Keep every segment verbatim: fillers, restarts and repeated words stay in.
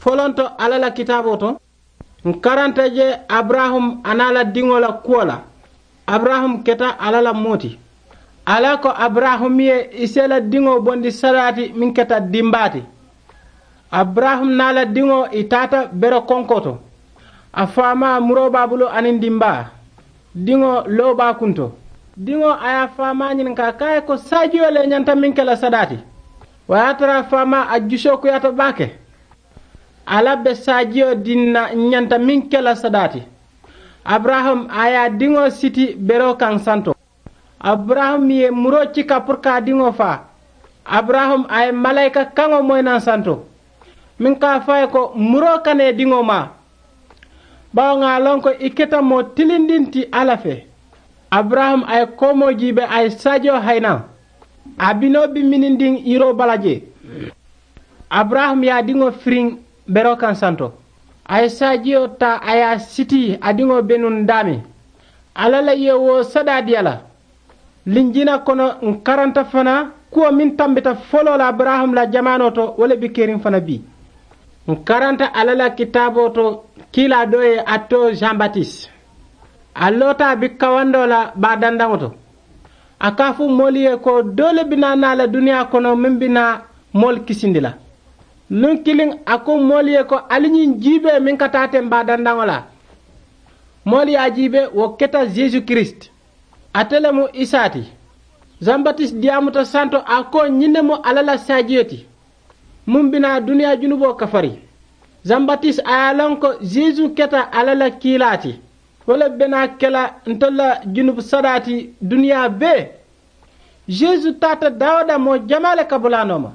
Folonto alla la kitaaboo to, ǹ karanta je abaraham a naa la diŋo la kuwo la. Abaraham keta alla la moo ti. Alla ko abaraham ye i si i la diŋo bondi sadaati meŋ keta dimbaa ti. Abaraham naa la diŋo i taata bere konkoo to. A faamaa muroo be a bulu aniŋ dimbaa. Diŋo loo be a kunto. Diŋo a ye a faamaa ñininkaa ka a ye ko saajiyo le ñanta meŋ ke la sadaati. Wo ye a tara a faamaa a jusoo kuyaata baake. Alla be saajiyo diŋ na ñanta meŋ ke la sadaati. Abaraham a ye a diŋo siti beroo kaŋ santo. Abaraham ye muroo cika puru ka a diŋo faa. Abaraham a ye malaayika kaŋo moyi naŋ santo, meŋ ka a fo a ye ko muroo kana i diŋo maa. Bawo ŋà a loŋ ko i keta moo tilindiŋ ti alla fee. Abaraham a ye koomoo jiibee a ye saajiyo hayi naŋ. A binoo be minindiŋ yiroo bala jee. Abaraham ye a diŋo firiŋ beroo kaŋ santo. A ye saajiyo taa a ye a sitii a diŋo be nuŋ daameŋ. Alla la ye wo sadaa dii a la. Linjina kono ǹ karanta fanaa kuwo meŋ tambita foloo la abaraham la jamaanoo to wo le be keriŋ fanaa bii. Ǹ karanta alla la kitaaboo to kiilaa doo ye a too jean batis. A loota a be kawandoo la baa dandaŋo to. A ka a fo moolu ye ko doo le be naa naa la duniyaa kono meŋ be naa moolu kisindi la. Luŋ kiliŋ a ko moolu ye ko ali ñiŋ jiibee meŋ ka taa teŋ baa dandaŋo la. Moolu ye a jiibee wo keta jesu kirisiti. Ate le mu isaa ti. Jean batis diyaamuta santo a ko ñiŋ ne mu alla la saajiyo ti. Muŋ bi naa duniyaa junuboo kafari. Jean batis a ye a loŋ ko jesu keta alla la kiilaa ti. Wo le be naa ke la ntolu la junubu sadaa ti duniyaa bee. Jesu taata daawuda moo jamaa le kabulaa nooma.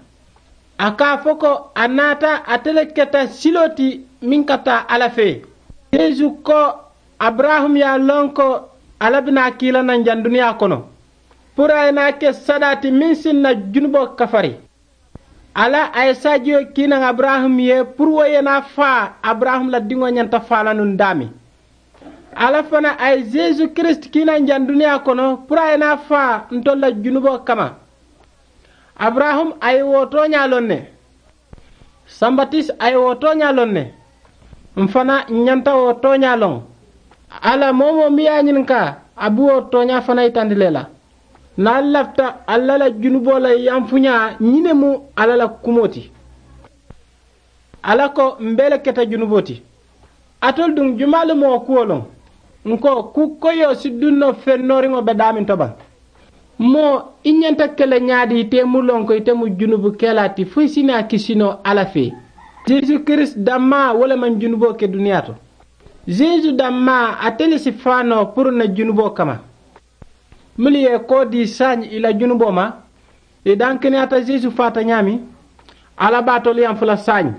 A ka a fo ko a naata ate le keta siloo ti meŋ ka taa alla fee. Jesu ko abaraham ye a loŋ ko alla bi naa kii la naŋ jaŋ duniyaa kono. Puru a ye naa ke sadaa ti meŋ si n na junuboo kafari. Alla a ye saajiyo kii naŋ abaraham ye puru wo ye naa faa abaraham la diŋo ñanta faa la nuŋ daameŋ. Alla fanaa a ye jesu kirisiti kii naŋ jaŋ duniyaa kono puru a ye naa faa ntolu la junuboo kamma. Abaraham a ye wo tooñaa loŋ ne. Sambatis a ye wo tooñaa loŋ ne. M̀ fanaa ǹ ñanta wo tooñaa loŋ. Alla moo-wo-moo miŋ ye a ñininkaa a be wo tooñaa fanaa yitandi le la. Niŋ ali lafita alla la junuboo la yamfuñaa ñiŋ ne mu alla la kumoo ti. Alla ko m̀ bee le keta junuboo ti. Alitolu duŋ jumaa le mu wo kuwo loŋ? Ǹ ko kuu koyoo si duŋ noo feŋ nooriŋo be daameŋ to baŋ? Moo i ñanta ke le ñaadii ite mu loŋ ko ite mu junubu kelaa ti fo i si naa kisi noo alla fee. Jesu kirisiti dammaa wo le maŋ junuboo ke duniyaa to. Jesu dammaa ate le si faa noo puru ǹ na junuboo kamma. Mennu ye koo dii saayiŋ ì la junuboo ma, ì dankeniyaata jesu faata ñaameŋ. Alla be alitolu yaŋ fo la saayiŋ.